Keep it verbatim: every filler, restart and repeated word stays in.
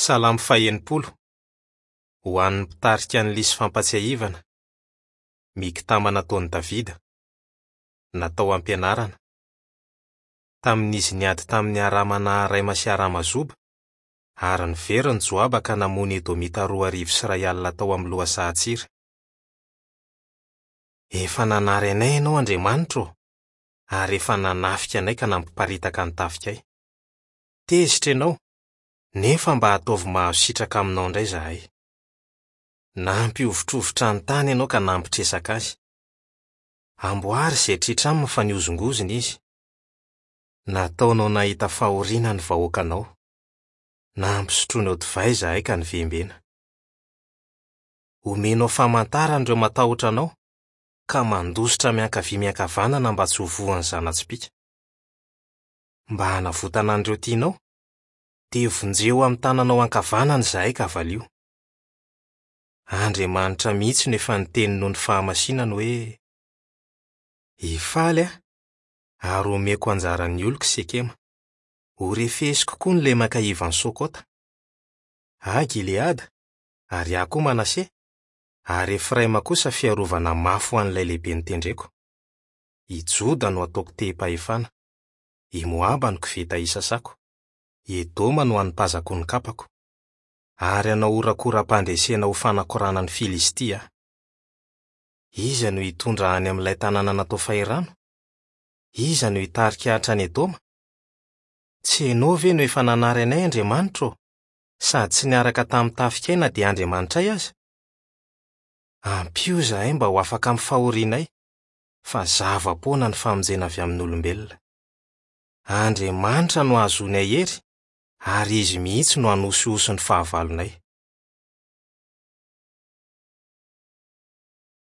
Salamo fahenimpolo. Ho an'ny mpitarika ny lisy fampatsiahivana. Miktama nataon'i Davida. Natao ampianarana. Tamin'izy niady tamin'ny Arama Naharaima sy Arama Zoba, ary niverina Joaba ka namono Edomita roa arivo sy iray alina tao amin'ny lohasahan-tsira. Efa nanary anay ianao Andriamanitra ô, ary efa nanafika anay ka nampiparitaka ny tafikay. Tezitra ianao, nefa mba ataovy mahazo sitraka aminao indray izahay. Nampihovitrovitra ny tany ianao ka nampitresaka azy. Amboary izay tritra aminy fa nihozongozona izy. Nataonao nahita fahoriana ny vahoakanao. Nampisotroinao divay izahay ka nivembena. Omenao famantarana ireo matahotra anao, ka mandositra miankavia miankavanana mba tsy ho voan'ny zana-tsipìka. Mba hanavotana an'ireo tianao, dia vonjeo amin'ny tananao ankavanana izahay ka valio. Andriamanitra mihitsy no efa niteny noho ny fahamasinany hoe: Hifaly aho, ary homeko anjaran'ny oloko Sekema. Horefesiko koa ny lemaka ivan'i Sokota. Ahy Gileada, ary ahy koa Manase, ary Efraima kosa fiarovana mafy ho an'ilay lehibe notendreko. I Joda no ataoko tehim-pahefana, i Moaba no koveta isasako, i Edoma no anipazako ny kapako. Ary hanao horakoram-pandresena ho fanakorana ny Filistia aho. Iza no hitondra any amin'ilay tanàna natao fahirano? Iza no hitarika hatrany Edoma? Tsy ianao ve no efa nanary anay Andriamanitra ô, sady tsy niaraka tamin'ny tafikay na dia Andriamanitray aza? Ampio izahay mba ho afaka amin'ny fahorianay, fa zava-poana ny famonjena avy amin'olombelona. Andriamanitra no hahazoanay hery, ary izy mihitsy no hanosihosy ny fahavalonay.